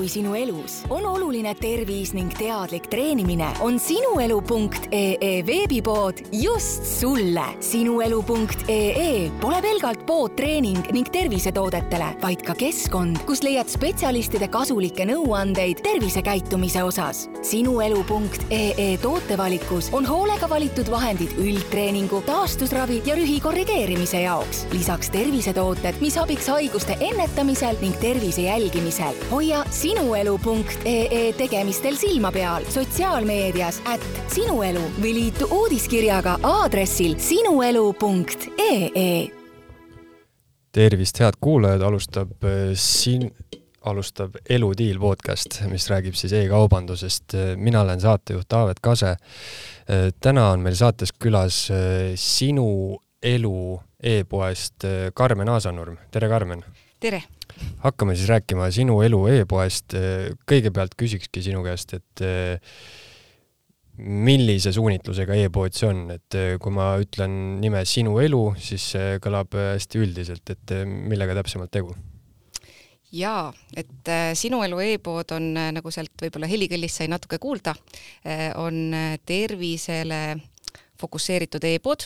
kui sinu elus. On oluline tervis ning teadlik treenimine. On sinuelu.ee veebipood just sulle. Sinuelu.ee pole pelgalt pood treening ning tervisetoodetele, vaid ka keskkond, kus leiad spetsialistide kasulikke nõuandeid tervisekäitumise osas. Sinuelu.ee tootevalikus on hoolega valitud vahendid üldtreeningu, taastusravi ja rühi korrigeerimise jaoks. Lisaks tervisetooted, mis abiks haiguste ennetamisel ning tervise jälgimisel. Hoia sinuelu.ee tegemistel silma peal sotsiaalmeedias @sinuelu või liitu uudiskirjaga aadressil sinuelu.ee. Tervist, head kuulajad, alustab Eludiil podcast, mis räägib siis e-kaubandusest. Mina olen saatejuht Taavet Kase. Täna on meil saates külas Sinu Elu e-poest Karmen Aasanurm. Tere, Karmen! Tere! Hakkame siis rääkima Sinu Elu e-poest. Kõigepealt küsikski sinu käest, et millise suunitlusega e-pood see on? Et kui ma ütlen nime Sinu Elu, siis see kõlab hästi üldiselt, et millega täpsemalt tegu? Jaa, et Sinu Elu e-pood on, nagu sealt võib-olla helikõllist sai natuke kuulda, on tervisele fokusseeritud e-pood,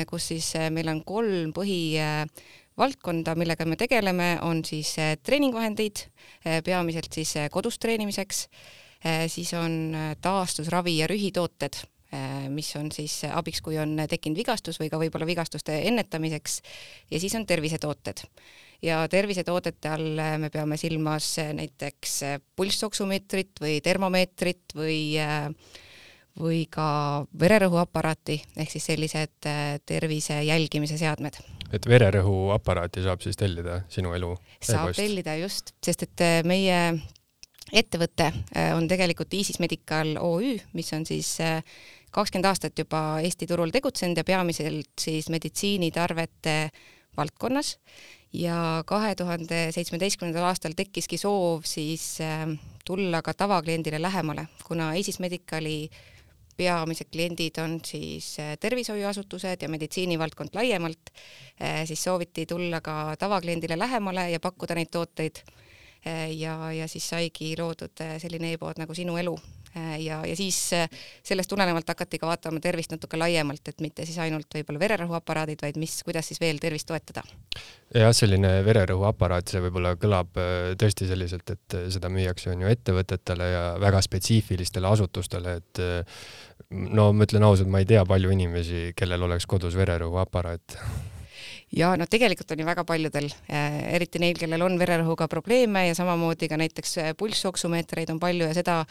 kus siis meil on 3 põhivaldkonda, millega me tegeleme, on siis treeningvahendid, peamiselt siis kodus treenimiseks, siis on taastusravi ja rühitooted, mis on siis abiks, kui on tekkinud vigastus või ka võib-olla vigastuste ennetamiseks, ja siis on tervisetooted. Ja tervisetoodete all me peame silmas näiteks pulssoksumeetrit või termomeetrit või ka vererõhuaparaati, ehk siis sellised tervise jälgimise seadmed. Et vererõhuaparaati saab siis tellida Sinu Elu e-poest? Saab tellida just, sest et meie ettevõte on tegelikult Iisis Medical OÜ, mis on siis 20 aastat juba Eesti turul tegutsenud ja peamiselt siis meditsiinitarvete valdkonnas. Ja 2017. aastal tekkiski soov siis tulla ka tavakliendile lähemale, kuna Iisis Medicali peamised kliendid on siis tervishoiuasutused ja meditsiinivaldkond laiemalt, siis sooviti tulla ka tavakliendile lähemale ja pakkuda neid tooteid. Ja siis saigi loodud selline e-pood nagu Sinu Elu. Ja siis sellest tulenevalt hakati ka vaatama tervist natuke laiemalt, et mitte siis ainult võib-olla vererõhuaparaadid, vaid kuidas siis veel tervist toetada. Ja selline vererõhuaparaat, see võib-olla kõlab tõesti selliselt, et seda müüakse on ju ettevõtetele ja väga spetsiifilistele asutustele, et no ma ütlen ausalt, ma ei tea palju inimesi, kellel oleks kodus vererõhuaparaat. Ja no tegelikult on ju väga paljudel, eriti neil, kellel on vererõhuga probleeme ja samamoodi ka näiteks pulssoksumeetreid on palju ja seda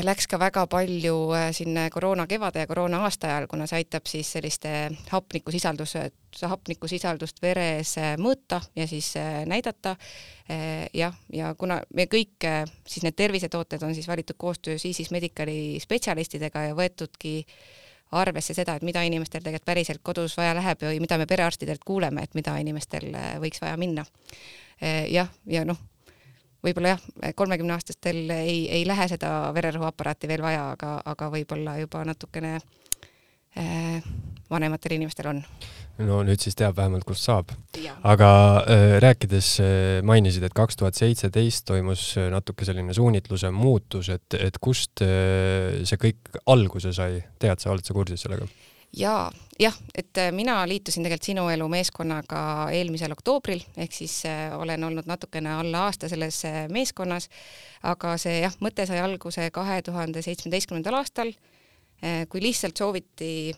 läks ka väga palju sinna koroona kevade ja koroona aasta ajal, kuna see aitab siis selliste hapnikusisaldust veres mõõta ja siis näidata. Ja kuna me kõik siis need tervisetooted on siis valitud koostöös Iisis Medicali spetsialistidega ja võetudki arvesse seda, et mida inimestel tegelikult päriselt kodus vaja läheb või mida me perearstidelt kuuleme, et mida inimestel võiks vaja minna. Ja võib-olla 30-aastastel ei lähe seda vererõhuaparaati veel vaja, aga võib-olla juba natukene vanematel inimestel on. No nüüd siis teab vähemalt, kust saab. Ja. Aga rääkides mainisid, et 2017 toimus natuke selline suunitluse muutus, et kust see kõik alguse sai? Tead sa, oled sa kursis sellega? Jah, et mina liitusin tegelikult Sinu Elu meeskonnaga eelmisel oktoobril, ehk siis olen olnud natukene alla aasta selles meeskonnas, aga see mõte sai alguse 2017. aastal, kui lihtsalt sooviti,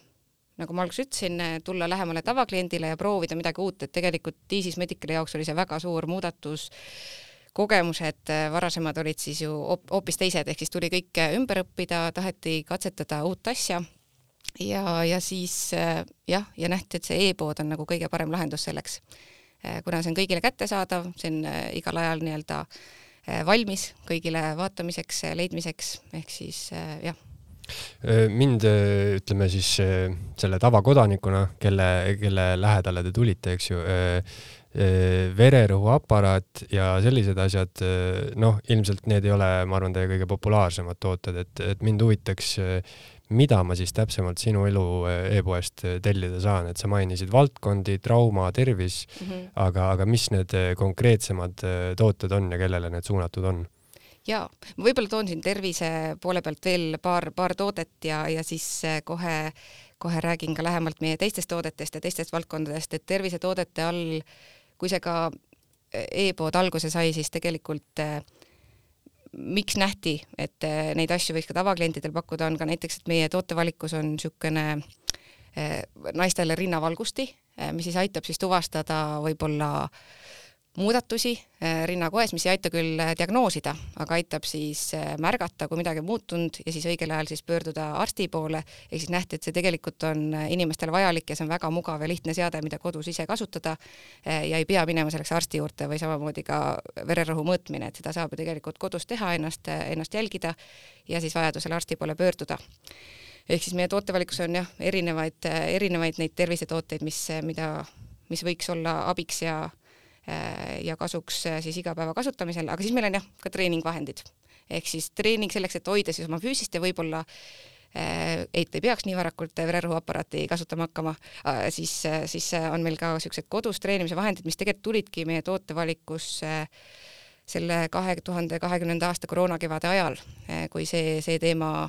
nagu ma alguses ütlesin, tulla lähemale tavakliendile ja proovida midagi uut, et tegelikult Iisis Medicali jaoks oli see väga suur muudatus, kogemused varasemad olid siis ju hoopis teised, ehk siis tuli kõik ümber õppida, taheti katsetada uut asja. Ja siis ja nähti, et see e-pood on nagu kõige parem lahendus selleks. Kuna see on kõigile kättesaadav, see on igal ajal nii-öelda valmis kõigile vaatamiseks, leidmiseks, ehk siis jah. Mind, ütleme siis selle tavakodanikuna, kelle lähedale te tulite, eks ju, vererõhuaparaat ja sellised asjad, ilmselt need ei ole, ma arvan, teie kõige populaarsemad tooted, et mind huvitaks, mida ma siis täpsemalt Sinu Elu e-poest tellida saan, et sa mainisid valdkondi, trauma, tervis, aga mis need konkreetsemad tooted on ja kellele need suunatud on? Ja ma võib-olla toon siin tervise poole pealt veel paar toodet ja siis kohe räägin ka lähemalt meie teistest toodetest ja teistest valdkondadest, et tervisetoodete all, kui see ka e-pood alguse sai, siis tegelikult miks nähti, et neid asju võiks ka tavaklientidel pakkuda, on ka näiteks, et meie tootevalikus on niisugune naistele rinnavalgusti, mis siis aitab siis tuvastada võib-olla muudatusi rinnakoes, mis ei aita küll diagnoosida, aga aitab siis märgata, kui midagi on muutunud ja siis õigel ajal siis pöörduda arsti poole, ehk siis nähti, et see tegelikult on inimestele vajalik ja see on väga mugav ja lihtne seade, mida kodus ise kasutada ja ei pea minema selleks arsti juurde või samamoodi ka vererõhu mõõtmine, et seda saab ju tegelikult kodus teha, ennast jälgida ja siis vajadusel arsti poole pöörduda. Ehk siis meie tootevalikus on jah, erinevaid neid tervisetooteid, mis võiks olla abiks ja kasuks siis igapäeva kasutamisel, aga siis meil on jah ka treeningvahendid. Ehk siis treening selleks, et hoida siis oma füüsist ja võib-olla ei peaks nii varakult vererõhuaparaati kasutama hakkama, siis on meil ka sellised kodus treenimise vahendid, mis tegelikult tulidki meie tootevalikus selle 2020. aasta koroonakevade ajal, kui see teema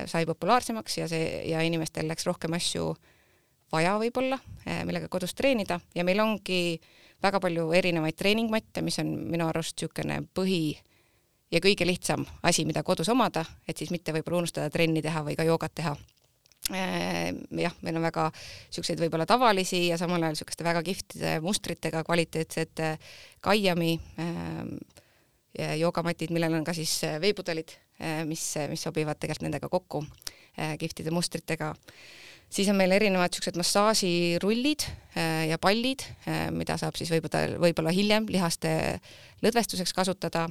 sai populaarsemaks ja inimestel läks rohkem asju vaja võib-olla, millega kodus treenida ja meil ongi väga palju erinevaid treeningmatte, mis on minu arust niisugune põhi ja kõige lihtsam asi, mida kodus omada, et siis mitte võib-olla unustada trenni teha või ka joogat teha. Jah, meil on väga niisuguseid võib-olla tavalisi ja samal ajal niisuguste väga kihtide mustritega kvaliteetsed kaiami joogamatid, millel on ka siis veepudelid, mis sobivad tegelikult nendega kokku kihtide mustritega. Siis on meil erinevad niisugused massaažirullid ja pallid, mida saab siis võib-olla hiljem lihaste lõdvestuseks kasutada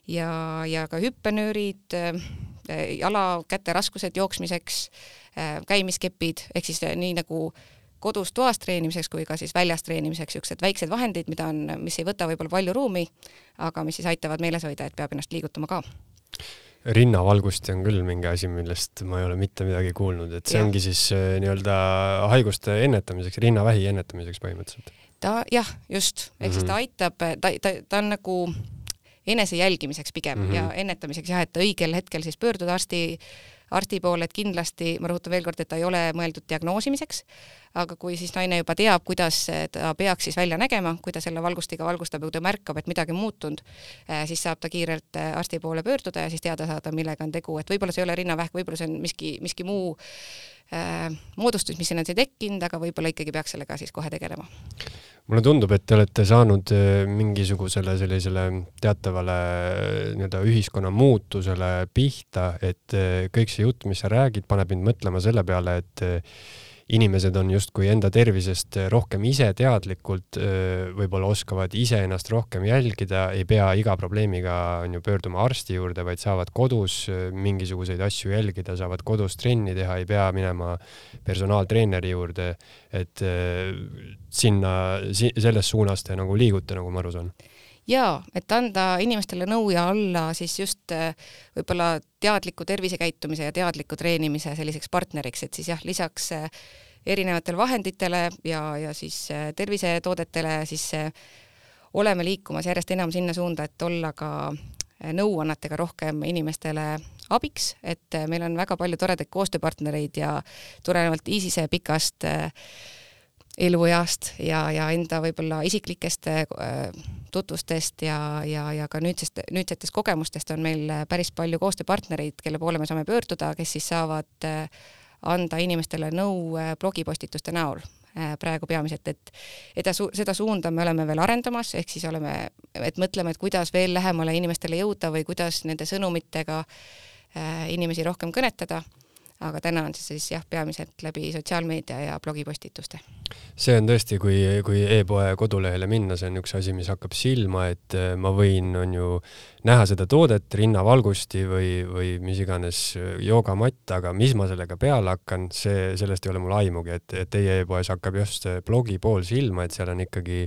ja ka hüppenöörid, jala-käte raskused jooksmiseks, käimiskepid, ehk siis nii nagu kodus toas treenimiseks kui ka siis väljas treenimiseks niisugused väiksed vahendid, mis ei võta võib-olla palju ruumi, aga mis siis aitavad meeles hoida, et peab ennast liigutama ka. Rinnavalgusti on küll mingi asi, millest ma ei ole mitte midagi kuulnud, et see ongi siis nii-öelda haiguste ennetamiseks, rinnavähi ennetamiseks põhimõtteliselt. Jah, just. Ehk siis ta aitab, ta on nagu enese jälgimiseks pigem ja ennetamiseks jah, et õigel hetkel siis pöörduda arsti poole, et kindlasti, ma rõhutan veel kord, et ta ei ole mõeldud diagnoosimiseks, aga kui siis naine juba teab, kuidas ta peaks siis välja nägema, kui ta selle valgustiga valgustab ja kui ta märkab, et midagi muutunud, siis saab ta kiirelt arsti poole pöörduda ja siis teada saada, millega on tegu, et võib-olla see ei ole rinnavähk, võib-olla see on miski muu moodustus, mis ennast ei tekkinud, aga võib-olla ikkagi peaks sellega siis kohe tegelema. Mulle tundub, et te olete saanud mingisugusele sellisele teatavale ühiskonna muutusele pihta, et kõik see jutt, mis sa räägid, paneb mind mõtlema selle peale, et inimesed on justkui enda tervisest rohkem ise teadlikult, võib-olla oskavad ise ennast rohkem jälgida, ei pea iga probleemiga pöörduma arsti juurde, vaid saavad kodus mingisuguseid asju jälgida, saavad kodus trenni teha, ei pea minema personaaltreeneri juurde, et selles suunas te nagu liigute, nagu ma aru saan. Jaa, et anda inimestele nõu ja alla siis just võib-olla teadliku tervisekäitumise ja teadliku treenimise selliseks partneriks, et siis jah, lisaks erinevatele vahenditele ja siis tervisetoodetele siis oleme liikumas järjest enam sinna suunda, et olla ka nõuannetega rohkem inimestele abiks, et meil on väga palju toredaid koostööpartnereid ja tulenevalt ISISe pikast elueast ja enda võib-olla isiklikest tutvustest ja ka nüüdsetest kogemustest on meil päris palju koostööpartnereid, kelle poole me saame pöörduda, kes siis saavad anda inimestele nõu blogipostituste näol praegu peamiselt, et seda suunda me oleme veel arendamas, ehk siis mõtleme, et kuidas veel lähemale inimestele jõuda või kuidas nende sõnumitega inimesi rohkem kõnetada. Aga täna on siis jah, peamiselt läbi sotsiaalmeedia ja blogipostituste. See on tõesti, kui e-poe kodulehele minna, see on üks asi, mis hakkab silma, et ma võin näha seda toodet, rinnavalgusti või mis iganes joogamatt, aga mis ma sellega peale hakkan, sellest ei ole mul aimugi, et teie e-poes hakkab just blogi pool silma, et seal on ikkagi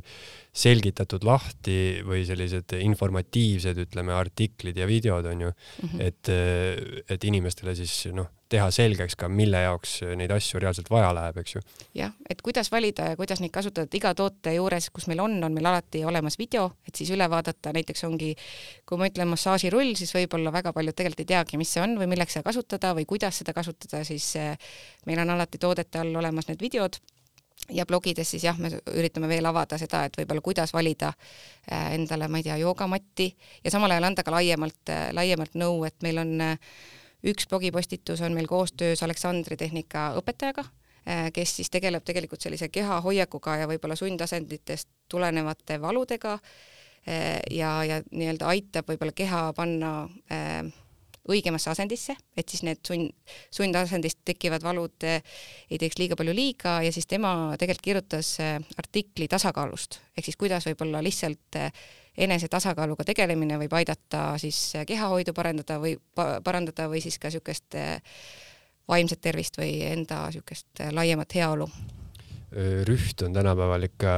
selgitatud lahti või sellised informatiivsed, artiklid ja videod on ju, et inimestele siis teha selgeks ka, mille jaoks neid asju reaalselt vaja läheb, eks ju. Jah, et kuidas valida ja kuidas neid kasutada, iga toote juures, kus meil on meil alati olemas video, et siis üle vaadata, näiteks ongi, kui ma ma ütlen massaažirull, siis võib-olla väga paljud tegelikult ei teagi, mis see on või milleks seda kasutada või kuidas seda kasutada, siis meil on alati toodete all olemas need videod ja blogides siis jah, me üritame veel avada seda, et võib-olla kuidas valida endale, ma ei tea, joogamatti ja samal ajal anda ka laiemalt nõu, et meil on üks blogipostitus on meil koostöös Aleksandri tehnika õpetajaga, kes siis tegeleb tegelikult sellise kehahoiakuga ja võib-olla sundasenditest tulenevate valudega ja nii-öelda aitab võib-olla keha panna õigemasse asendisse, et siis need sundasendist tekivad valud ei teeks liiga palju liiga ja siis tema tegelikult kirjutas artikli tasakaalust, ehk siis kuidas võib-olla lihtsalt enese tasakaaluga tegelemine võib aidata siis kehahoidu parandada või siis ka niisugust vaimset tervist või enda niisugust laiemat heaolu. Rüht on tänapäeval ikka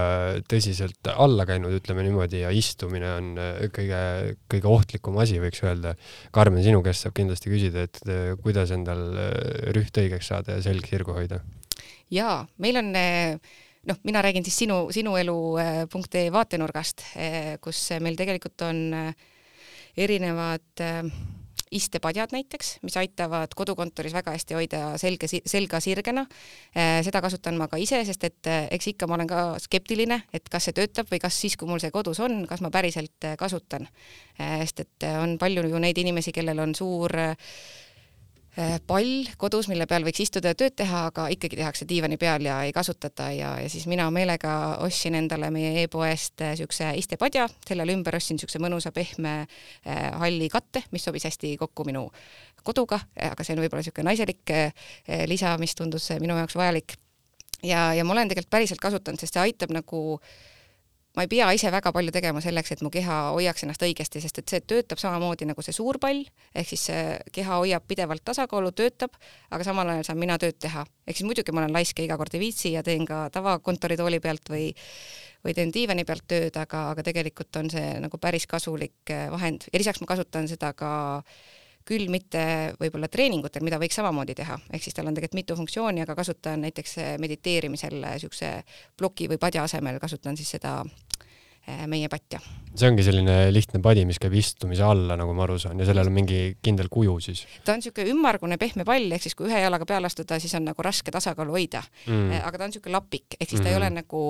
tõsiselt alla käinud, ütleme niimoodi, ja istumine on kõige ohtlikum asi, võiks öelda. Karmen, sinu käest saab kindlasti küsida, et kuidas endal rüht õigeks saada ja selg sirgu hoida? Jaa, meil on, mina räägin siis sinuelu.ee vaatenurgast, kus meil tegelikult on erinevad istepadjad näiteks, mis aitavad kodukontoris väga hästi hoida selga sirgena. Seda kasutan ma ka ise, sest et eks ikka ma olen ka skeptiline, et kas see töötab või kas siis, kui mul see kodus on, kas ma päriselt kasutan. Sest et on palju ju neid inimesi, kellel on suur pall kodus, mille peal võiks istuda ja tööd teha, aga ikkagi tehakse diivani peal ja ei kasutata ja siis mina meelega ostsin endale meie e-poest niisuguse istepadja, sellele ümber ostsin niisuguse mõnusa pehme halli katte, mis sobis hästi kokku minu koduga, aga see on võib-olla niisugune naiselik lisa, mis tundus minu jaoks vajalik. Ja ma olen tegelikult päriselt kasutanud, sest see aitab ma ei pea ise väga palju tegema selleks, et mu keha hoiaks ennast õigesti, sest et see töötab samamoodi nagu see suur pall, ehk siis keha hoiab pidevalt tasakaalu, töötab, aga samal ajal saan mina tööd teha. Ehk siis muidugi ma olen laiske iga kord ei viitsi ja teen ka tavakontoritooli pealt või teen diivani pealt tööd, aga tegelikult on see nagu päris kasulik vahend. Ja lisaks ma kasutan seda ka küll mitte võib-olla treeningutel, mida võiks samamoodi teha. Ehk siis tal on tegelikult mitu funktsiooni, aga kasutan näiteks mediteerimisel niisuguse ploki või padja asemel kasutan siis seda meie patja. See ongi selline lihtne padi, mis käib istumise alla, nagu ma aru saan, ja sellel on mingi kindel kuju siis. Ta on niisugune ümmargune pehme pall, ehk siis kui ühe jalaga peale astuda, siis on nagu raske tasakaalu hoida. Aga ta on niisugune lapik, ehk siis ta ei ole nagu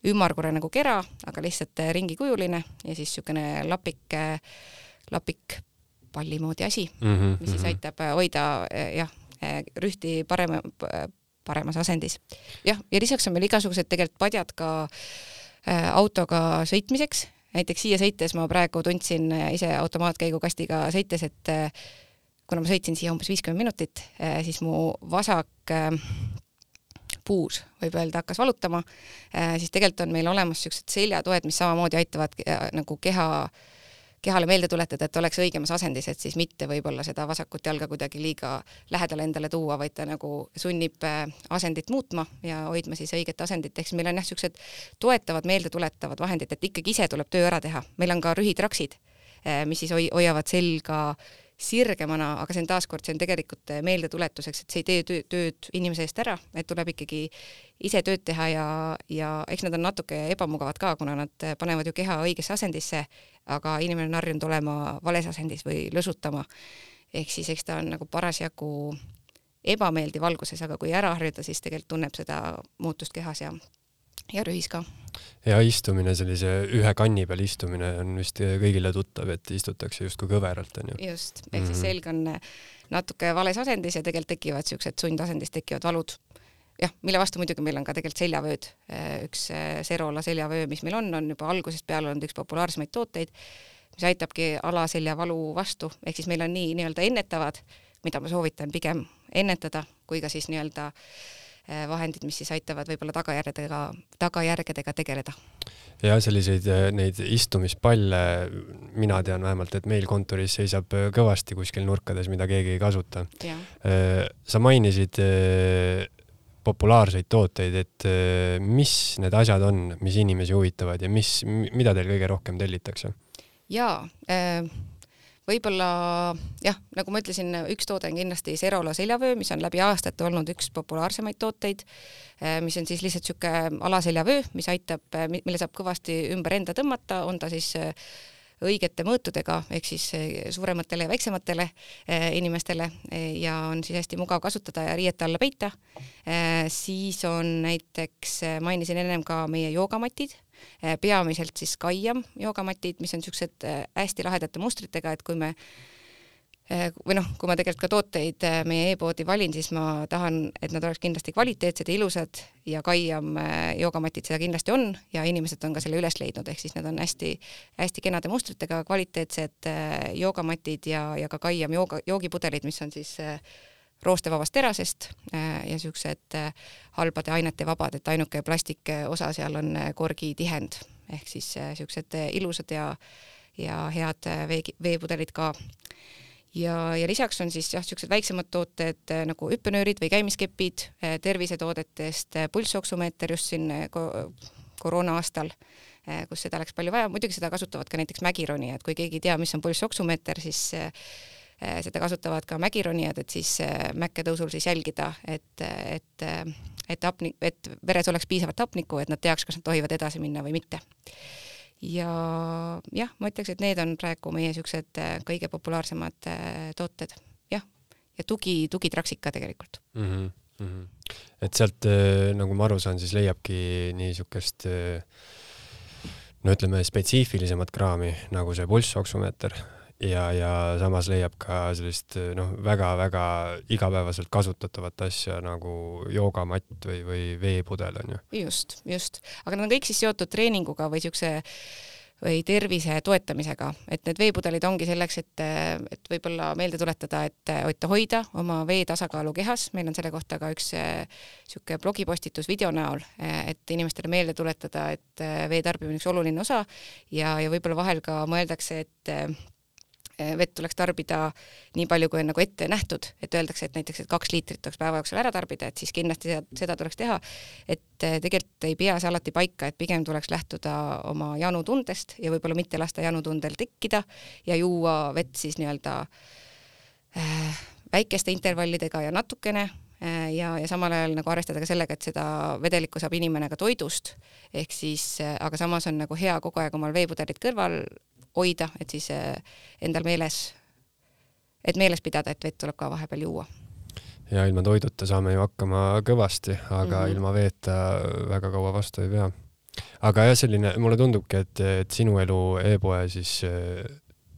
ümmargune nagu kera, aga lihtsalt ringikujuline ja siis niisugune lapik palli moodi asi, mis siis aitab hoida rühti paremas asendis. Ja lisaks on meil igasugused tegelikult padjad ka autoga sõitmiseks. Näiteks siia sõites ma praegu tundsin ise automaatkäigukastiga sõites, et kuna ma sõitsin siia umbes 50 minutit, siis mu vasak puus, võib öelda, hakkas valutama, siis tegelikult on meil olemas niisugused seljatoed, mis samamoodi aitavad nagu kehale meelde tuletada, et oleks õigemas asendis, et siis mitte võib-olla seda vasakut jalga kuidagi liiga lähedale endale tuua, vaid ta nagu sunnib asendit muutma ja hoidma siis õiget asendit. Ehk meil on niisugused toetavad, meelde tuletavad vahendid, et ikkagi ise tuleb töö ära teha. Meil on ka rühitraksid, mis siis hoiavad selga sirgemana, aga see on taaskord, see on tegelikult meelde tuletuseks, et see ei tee tööd inimese eest ära, et tuleb ikkagi ise tööd teha ja eks nad on natuke ebamugavad ka, kuna nad panevad ju keha õigesse asendisse, aga inimene on harjunud olema vales asendis või lõsutama. Ehk siis eks ta on nagu parasjagu ebameeldiv valguses, aga kui ära harjuda, siis tegelikult tunneb seda muutust kehas ja rühis ka. Ja istumine, sellise ühe kanni peal istumine on vist kõigile tuttav, et istutakse justkui kõveralt. On ju? Just, ehk siis selg on natuke vales asendis ja tegelikult tekivad niisugused sundasendis tekivad valud. Jah, mille vastu muidugi meil on ka tegelikult seljavööd. Üks Serola seljavöö, mis meil on juba algusest peale olnud üks populaarsemaid tooteid, mis aitabki alaseljavalu vastu. Ehk siis meil on nii-öelda ennetavad, mida ma soovitan pigem ennetada, kui ka siis nii-öelda vahendid, mis siis aitavad võib-olla tagajärgedega tegeleda. Ja selliseid neid istumispalle, mina tean vähemalt, et meil kontoris seisab kõvasti kuskil nurkades, mida keegi ei kasuta. Ja. Sa mainisid populaarseid tooteid, et mis need asjad on, mis inimesi huvitavad ja mida teil kõige rohkem tellitakse? Jaa, võib-olla, jah, nagu ma ütlesin, üks toode on kindlasti Serola seljavöö, mis on läbi aastate olnud üks populaarsemaid tooteid, mis on siis lihtsalt niisugune alaseljavöö, mis aitab, mille saab kõvasti ümber enda tõmmata, on ta siis õigete mõõtudega, ehk siis suurematele ja väiksematele inimestele ja on siis hästi mugav kasutada ja riiete alla peita. Siis on näiteks, mainisin ennem ka meie joogamatid, peamiselt siis Kaiam joogamatid, mis on niisugused hästi lahedate mustritega, et kui me või kui ma tegelikult ka tooteid meie e-poodi valin, siis ma tahan, et nad oleks kindlasti kvaliteetsed ja ilusad ja Kaiam joogamatid seda kindlasti on ja inimesed on ka selle üles leidnud, ehk siis need on hästi, hästi kenade mustritega kvaliteetsed joogamatid ja ka Kaiam joogipudelid, mis on siis roostevabast terasest ja niisugused halbade ainete vabad, et ainuke plastikosa seal on korgi tihend, ehk siis niisugused ilusad ja head veepudelid ka. Ja lisaks on siis niisugused väiksemad tooted nagu hüppenöörid või käimiskepid tervisetoodetest, pulssoksumeeter just siin koroona aastal, kus seda läks palju vaja. Muidugi seda kasutavad ka näiteks mägironijad, kui keegi ei tea, mis on pulssoksumeeter, siis seda kasutavad ka mägironijad, et siis mäkketõusul siis jälgida, et veres oleks piisavalt hapnikku, et nad teaks, kas nad tohivad edasi minna või mitte. Ja jah, ma ütleks, et need on praegu meie niisugused kõige populaarsemad tooted. Jah, ja tugitraksika tegelikult. Et sealt, nagu ma aru saan, siis leiabki niisugust ütleme spetsiifilisemat kraami, nagu see pulssoksumeeter ja samas leiab ka sellist väga-väga igapäevaselt kasutatavat asja nagu joogamatt või veepudel on ju. Just. Aga nad on kõik siis seotud treeninguga või või tervise toetamisega, et need veepudelid ongi selleks, et võib-olla meelde tuletada, et hoida oma vee tasakaalu kehas. Meil on selle kohta ka üks niisugune blogipostitus video näol, et inimestele meelde tuletada, et vee tarbimine on üks oluline osa ja võib-olla vahel ka mõeldakse, et vett tuleks tarbida nii palju, kui on nagu ette nähtud, et öeldakse, et näiteks 2 liitrit tuleks päeva jooksul ära tarbida, et siis kindlasti seda tuleks teha, et tegelikult ei pea see alati paika, et pigem tuleks lähtuda oma janutundest ja võib-olla mitte lasta janutundel tekkida ja juua vett siis nii-öelda väikeste intervallidega ja natukene ja samal ajal nagu arvestada ka sellega, et seda vedelikku saab inimene ka toidust, ehk siis, aga samas on nagu hea kogu aeg omal veepudelit kõrval hoida, et siis endal meeles pidada, et vett tuleb ka vahepeal juua. Ja ilma toiduta saame ju hakkama kõvasti, aga ilma veeta väga kaua vastu ei pea. Aga jah, mulle tundubki, et sinu elu e-poe siis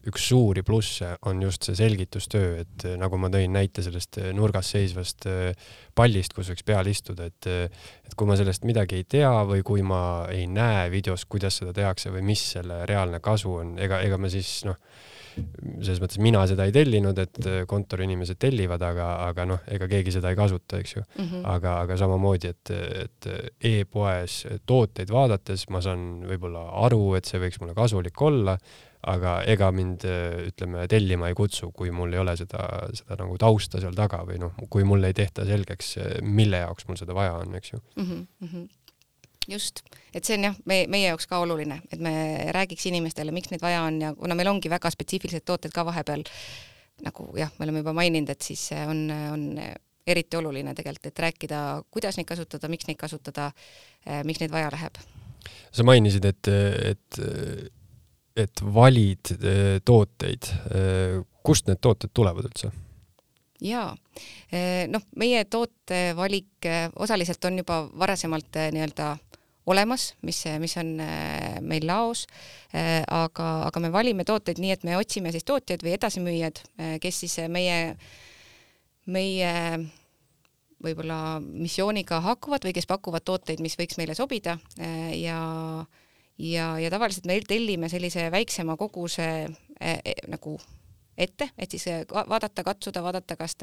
üks suuri plusse on just see selgitustöö, et nagu ma tõin näite sellest nurgas seisvast pallist, kus võiks peal istuda, et kui ma sellest midagi ei tea või kui ma ei näe videos, kuidas seda tehakse või mis selle reaalne kasu on, ega me siis selles mõttes mina seda ei tellinud, et kontoriinimesed tellivad, aga ega keegi seda ei kasuta, eks ju. Aga samamoodi, et e-poes tooteid vaadates ma saan võib-olla aru, et see võiks mulle kasulik olla, aga ega mind, ütleme, tellima ei kutsu, kui mul ei ole seda nagu tausta seal taga või kui mul ei tehta selgeks, mille jaoks mul seda vaja on, eks ju. Just, et see on jah, meie jaoks ka oluline, et me räägiks inimestele, miks neid vaja on ja kuna meil ongi väga spetsiifilised tooted ka vahepeal, nagu jah, me oleme juba maininud, et siis on eriti oluline tegelikult, et rääkida, kuidas neid kasutada, miks neid kasutada, miks neid vaja läheb. Sa mainisid, et valid tooteid. Kust need tooted tulevad üldse? Jaa, meie tootevalik osaliselt on juba varasemalt nii-öelda olemas, mis on meil laos, aga me valime tooteid nii, et me otsime siis tootjad või edasimüüjad, kes siis meie võib-olla missiooniga hakuvad või kes pakuvad tooteid, mis võiks meile sobida ja tavaliselt me tellime sellise väiksema koguse nagu ette, et siis vaadata, kas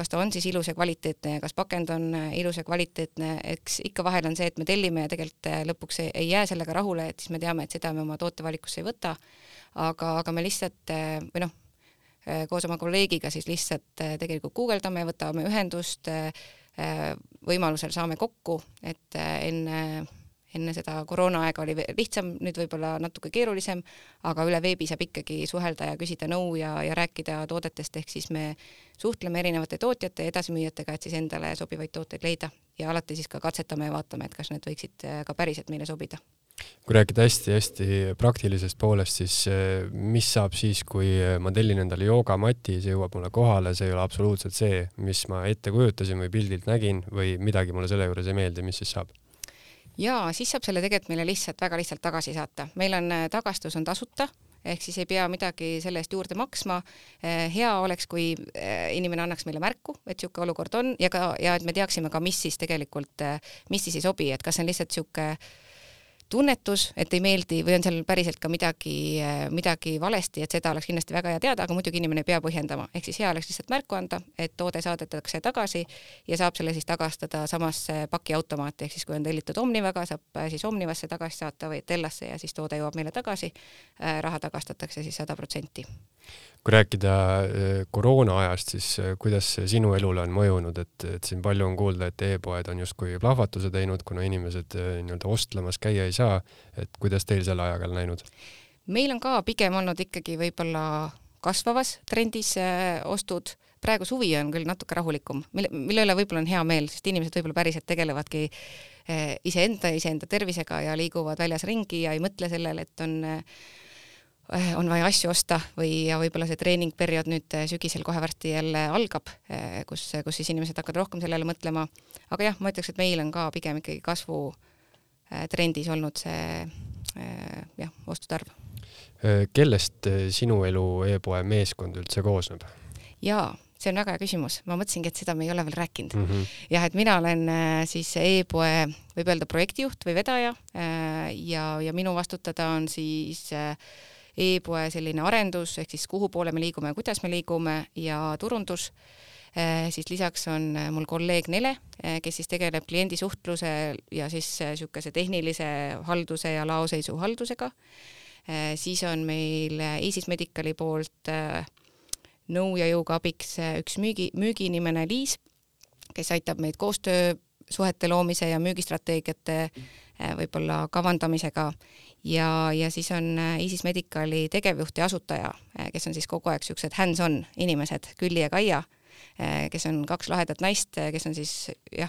ta on siis ilus ja kvaliteetne ja kas pakend on ilus ja kvaliteetne, eks ikka vahel on see, et me tellime ja tegelikult lõpuks ei jää sellega rahule, et siis me teame, et seda me oma tootevalikusse ei võta, aga me lihtsalt koos oma kolleegiga siis lihtsalt tegelikult guugeldame, võtame ühendust, võimalusel saame kokku, et enne seda koroonaaega oli lihtsam, nüüd võib-olla natuke keerulisem, aga üle veebi saab ikkagi suhelda ja küsida nõu ja rääkida toodetest, ehk siis me suhtleme erinevate tootjate ja edasimüüjatega, et siis endale sobivaid tooteid leida ja alati siis ka katsetame ja vaatame, et kas need võiksid ka päriselt meile sobida. Kui rääkida hästi praktilisest poolest, siis mis saab siis, kui ma tellin endale joogamati, see jõuab mulle kohale, see ei ole absoluutselt see, mis ma ette kujutasin või pildilt nägin või midagi mulle selle juures ei meeldi, mis siis saab? Jaa, siis saab selle tegelikult meile väga lihtsalt tagasi saata. Meil on tagastus on tasuta, ehk siis ei pea midagi selle eest juurde maksma. Hea oleks, kui inimene annaks meile märku, et siuke olukord on ja et me teaksime ka, mis siis tegelikult, mis siis ei sobi, et kas on lihtsalt siuke tunnetus, et ei meeldi või on seal päriselt ka midagi valesti, et seda oleks kindlasti väga hea teada, aga muidugi inimene ei pea põhjendama. Ehk siis hea oleks lihtsalt märku anda, et toode saadetakse tagasi ja saab selle siis tagastada samasse pakiautomaati, ehk siis kui on tellitud Omnivaga, saab siis Omnivasse tagasi saata või Tellasse ja siis toode jõuab meile tagasi. Raha tagastatakse siis 100%. Kui rääkida koroona ajast, siis kuidas sinu elule on mõjunud, et siin palju on kuulda, et e-poed on justkui plahvatuse teinud, kuna inimesed nii-öelda ostlemas käia ei saa, et kuidas teil selle ajaga läinud? Meil on ka pigem olnud ikkagi võib-olla kasvavas trendis ostud. Praegu suvi on küll natuke rahulikum, mille üle võib-olla on hea meel, sest inimesed võib-olla päriselt tegelevadki iseenda tervisega ja liiguvad väljas ringi ja ei mõtle sellele, et on vaja asju osta ja võib-olla see treeningperiood nüüd sügisel kohe varsti jälle algab, kus siis inimesed hakkavad rohkem sellele mõtlema. Aga jah, ma ütleks, et meil on ka pigem ikkagi kasvu trendis olnud see ostutarv. Kellest sinu elu e-poe meeskond üldse koosneb? Jaa, see on väga hea küsimus. Ma mõtlesingi, et seda me ei ole veel rääkinud. Jah, et mina olen siis e-poe, võib öelda projektijuht või vedaja ja minu vastutada on siis e-poe selline arendus, ehk siis kuhu poole me liigume ja kuidas me liigume ja turundus. Siis lisaks on mul kolleeg Nele, kes siis tegeleb kliendisuhtluse ja siis sihukese tehnilise halduse ja laoseisu haldusega. Siis on meil Easys Medicali poolt nõu ja jõuga abiks üks müügiinimene Liis, kes aitab meid koostöösuhete loomise ja müügistrateegiate võib-olla kavandamisega. Ja siis on Easys Medicali tegevjuht ja asutaja, kes on siis kogu aeg siuksed hands-on inimesed, Külli ja Kaia, kes on 2 lahedat naist, kes on siis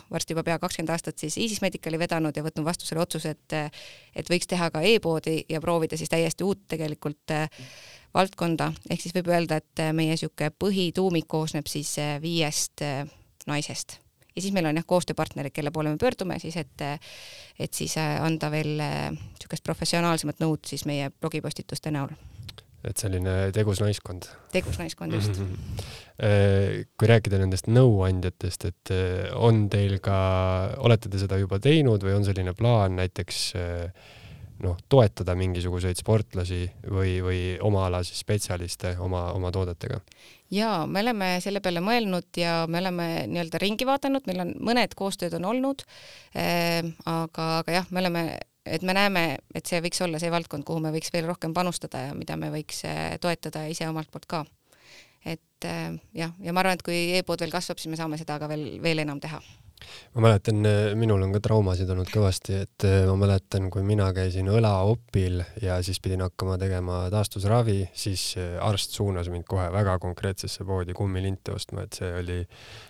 varsti juba pea 20 aastat siis Easys Medicali vedanud ja võtnud vastu selle otsuse, et võiks teha ka e-poodi ja proovida siis täiesti uut tegelikult valdkonda. Ehk siis võib öelda, et meie siuke põhituumik koosneb siis 5 naisest. Ja siis meil on koostööpartnerid, kelle poole me pöördume, siis et siis anda veel siukest professionaalsemat nõud siis meie blogipostituste näol. Et selline tegus naiskond. Tegus naiskond, just. Kui rääkida nendest nõuandjatest, et on teil ka, olete te seda juba teinud või on selline plaan näiteks toetada mingisuguseid sportlasi või oma ala siis spetsialiste oma toodetega? Jaa, me oleme selle peale mõelnud ja me oleme nii-öelda ringi vaadanud, meil on mõned koostööd on olnud, aga jah, me näeme, et see võiks olla see valdkond, kuhu me võiks veel rohkem panustada ja mida me võiks toetada ise omalt poolt ka. Et ja ma arvan, et kui e-pood veel kasvab, siis me saame seda ka veel enam teha. Ma mäletan, minul on ka traumasid olnud kõvasti, et ma mäletan, kui mina käisin õlaopil ja siis pidin hakkama tegema taastusravi, siis arst suunas mind kohe väga konkreetsesse poodi kummilinte ostma, et see oli,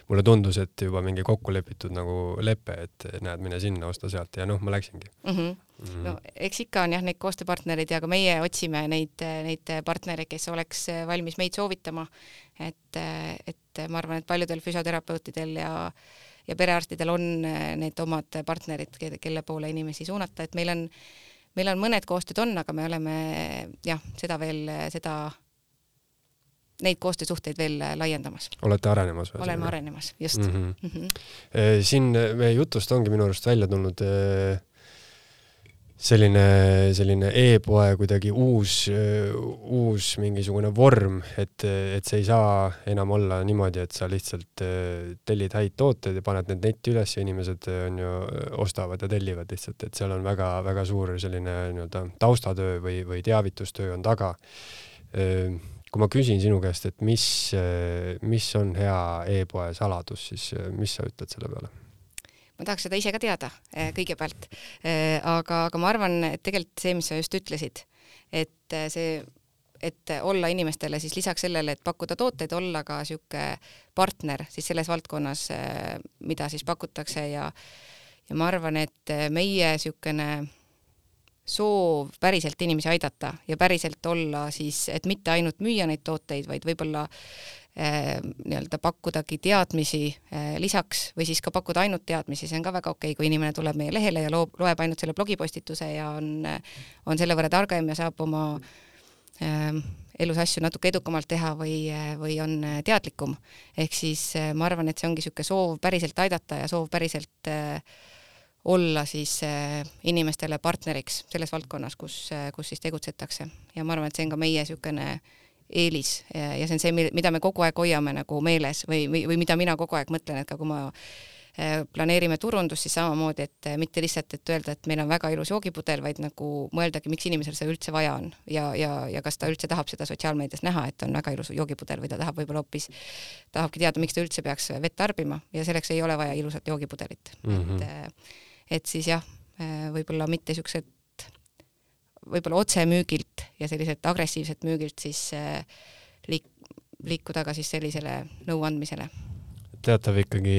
mulle tundus, et juba mingi kokku lepitud nagu lepe, et näed, mine sinna, osta sealt ja ma läksingi. No, eks ikka on neid koostööpartnerid ja ka meie otsime neid partnereid, kes oleks valmis meid soovitama, et ma arvan, et paljudel füsioterapeutidel ja perearstidel on need omad partnerid, kelle poole inimesi suunata, et meil on mõned koostööd on, aga me oleme neid koostöösuhteid veel laiendamas. Olete arenemas? Oleme arenemas, just. Siin meie jutust ongi minu arust välja tulnud selline e-poe kuidagi uus mingisugune vorm, et see ei saa enam olla niimoodi, et sa lihtsalt tellid häid tooteid ja paned need netti üles ja inimesed ostavad ja tellivad lihtsalt, et seal on väga, väga suur selline taustatöö või teavitustöö on taga. Kui ma küsin sinu käest, et mis on hea e-poe saladus, siis mis sa ütled selle peale? Ma tahaks seda ise ka teada kõigepealt, aga ma arvan, et tegelikult see, mis sa just ütlesid, et olla inimestele siis lisaks sellele, et pakkuda tooteid, olla ka siuke partner siis selles valdkonnas, mida siis pakutakse ja ma arvan, et meie siukene soov päriselt inimesi aidata ja päriselt olla siis, et mitte ainult müüa neid tooteid, vaid võib-olla nii-öelda pakkudagi teadmisi lisaks või siis ka pakkuda ainult teadmisi, see on ka väga okei, kui inimene tuleb meie lehele ja loeb ainult selle blogipostituse ja on selle võrra targem ja saab oma elus asju natuke edukamalt teha või on teadlikum. Ehk siis ma arvan, et see ongi niisugune soov päriselt aidata ja soov päriselt olla siis inimestele partneriks selles valdkonnas, kus siis tegutsetakse. Ja ma arvan, et see on ka meie niisugune eelis ja see on see, mida me kogu aeg hoiame nagu meeles või mida mina kogu aeg mõtlen, et ka kui ma planeerime turundust, siis samamoodi, et mitte lihtsalt, et öelda, et meil on väga ilus joogipudel, vaid nagu mõeldagi, miks inimesel see üldse vaja on ja kas ta üldse tahab seda sotsiaalmeedias näha, et on väga ilus joogipudel või ta tahab võib-olla hoopis, tahabki teada, miks ta üldse peaks vett tarbima ja selleks ei ole vaja ilusat joogipudelit. Et siis jah, võib-olla mitte niisugused võib-olla otsemüügilt ja selliselt agressiivset müügilt siis liikuda ka siis sellisele nõuandmisele. Teatav ikkagi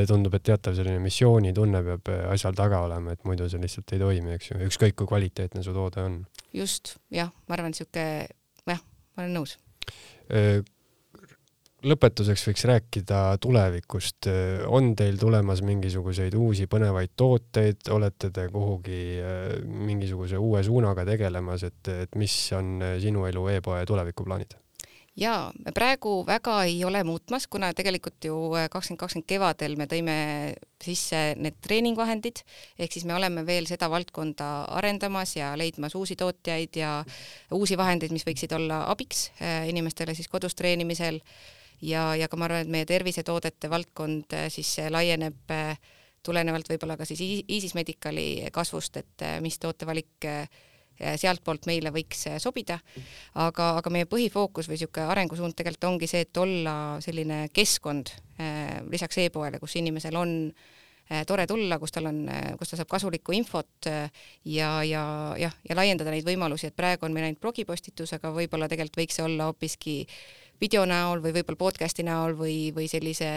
tundub, et teatav selline missioonitunne peab asjal taga olema, et muidu see lihtsalt ei toimi, eks ju. Ükskõik kui kvaliteetne su toode on. Just, jah, ma arvan, ma olen nõus. Lõpetuseks võiks rääkida tulevikust. On teil tulemas mingisuguseid uusi põnevaid tooteid? Olete te kuhugi mingisuguse uue suunaga tegelemas, et mis on sinu elu e-poe tulevikuplaanid? Jaa, me praegu väga ei ole muutmas, kuna tegelikult ju 2020 kevadel me tõime sisse need treeningvahendid, ehk siis me oleme veel seda valdkonda arendamas ja leidmas uusi tootjaid ja uusi vahendeid, mis võiksid olla abiks inimestele siis kodus treenimisel. Ja ka ma arvan, et meie tervisetoodete valdkond siis laieneb tulenevalt võib-olla ka siis Iisis Medicali kasvust, et mis tootevalik sealt poolt meile võiks sobida. Aga meie põhifookus või niisugune arengusuund tegelikult ongi see, et olla selline keskkond lisaks e-poele, kus inimesel on tore tulla, kus ta saab kasulikku infot ja laiendada neid võimalusi, et praegu on meil ainult blogipostitus, aga võib-olla tegelikult võiks see olla hoopiski video näol või võib-olla podcasti näol või sellise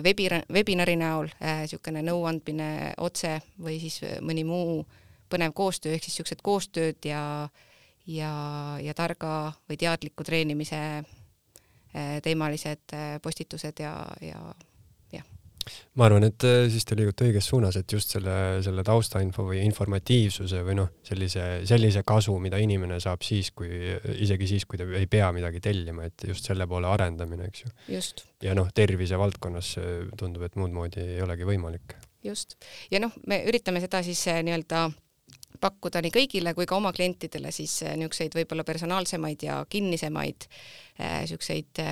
webinari näol, niisugune nõuandmine otse või siis mõni muu põnev koostöö, ehk siis niisugused koostööd ja targa või teadliku treenimise teemalised postitused ja. Ma arvan, et siis te liigute õiges suunas, et just selle taustainfo või informatiivsuse või sellise kasu, mida inimene saab isegi siis, kui ta ei pea midagi tellima, et just selle poole arendamine, eks ju. Just. Ja tervise valdkonnas tundub, et muud moodi ei olegi võimalik. Just. Ja me üritame seda siis nii-öelda pakkuda nii kõigile kui ka oma klientidele siis niisuguseid võib-olla personaalsemaid ja kinnisemaid niisuguseid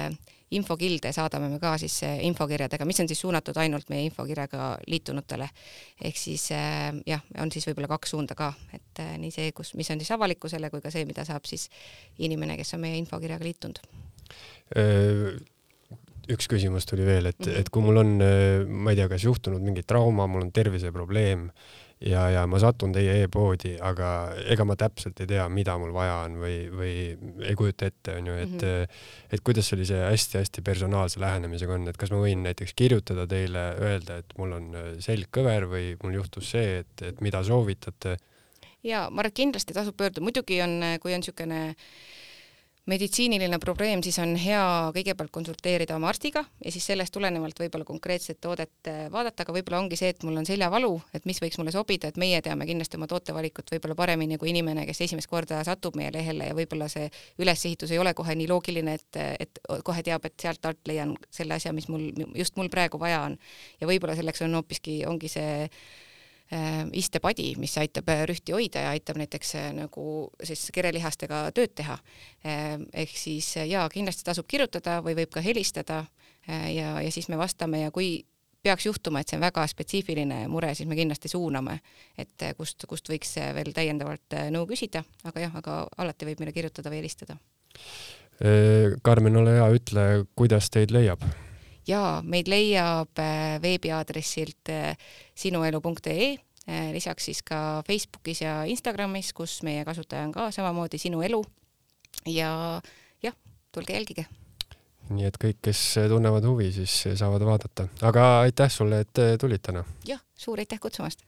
infokilde saadame me ka siis infokirjadega, mis on siis suunatud ainult meie infokirjaga liitunutele. Ehk siis on siis võib-olla 2 suunda ka, et nii see, mis on siis avalikkusele, kui ka see, mida saab siis inimene, kes on meie infokirjaga liitunud. Üks küsimus tuli veel, et kui mul on, ma ei tea, kas juhtunud mingi trauma, mul on terviseprobleem ja ma satun teie e-poodi, aga ega ma täpselt ei tea, mida mul vaja on või ei kujuta ette, on ju, et kuidas sellise hästi-hästi personaalse lähenemisega on, et kas ma võin näiteks kirjutada teile, öelda, et mul on selg kõver või mul juhtus see, et mida soovitate? Ja ma arvan, kindlasti tasub pöörduda. Muidugi on, kui on niisugune meditsiiniline probleem, siis on hea kõigepealt konsulteerida oma arstiga ja siis sellest tulenevalt võib-olla konkreetset toodet vaadata, aga võib-olla ongi see, et mul on seljavalu, et mis võiks mulle sobida, et meie teame kindlasti oma tootevalikut võib-olla paremini kui inimene, kes esimest korda satub meie lehele ja võib-olla see ülesehitus ei ole kohe nii loogiline, et kohe teab, et sealt alt leian selle asja, mis just mul praegu vaja on. Ja võib-olla selleks on hoopiski, ongi see istepadi, mis aitab rühti hoida ja aitab näiteks nagu siis kerelihastega tööd teha. Ehk siis kindlasti tasub kirjutada või võib ka helistada ja siis me vastame ja kui peaks juhtuma, et see on väga spetsiifiline mure, siis me kindlasti suuname, et kust võiks veel täiendavalt nõu küsida, aga alati võib meile kirjutada või helistada. Karmen, ole hea, ütle, kuidas teid leiab? Ja meid leiab veebiaadressilt sinuelu.ee, lisaks siis ka Facebookis ja Instagramis, kus meie kasutaja on ka samamoodi Sinu Elu ja tulge jälgige. Nii et kõik, kes tunnevad huvi, siis saavad vaadata. Aga aitäh sulle, et tulid täna. Suur aitäh kutsumast!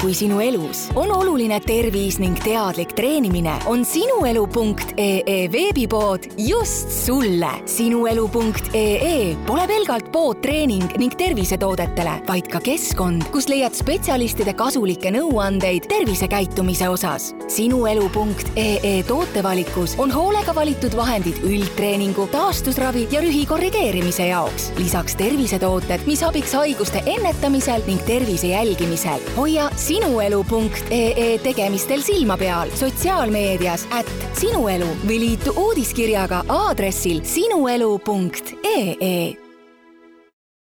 kui sinu elus on oluline tervis ning teadlik treenimine, on sinuelu.ee veebipood just sulle. Sinuelu.ee pole pelgalt pood treening ning tervisetoodetele, vaid ka keskkond, kus leiad spetsialistide kasulikke nõuandeid tervisekäitumise osas. Sinuelu.ee tootevalikus on hoolega valitud vahendid üldtreeningu, taastusravi ja rühi korrigeerimise jaoks. Lisaks tervisetooted, mis abiks haiguste ennetamisel ning tervise jälgimisel. Hoia sinuelu.ee tegemistel silma peal sotsiaalmeedias @sinuelu või liitu uudiskirjaga aadressil sinuelu.ee.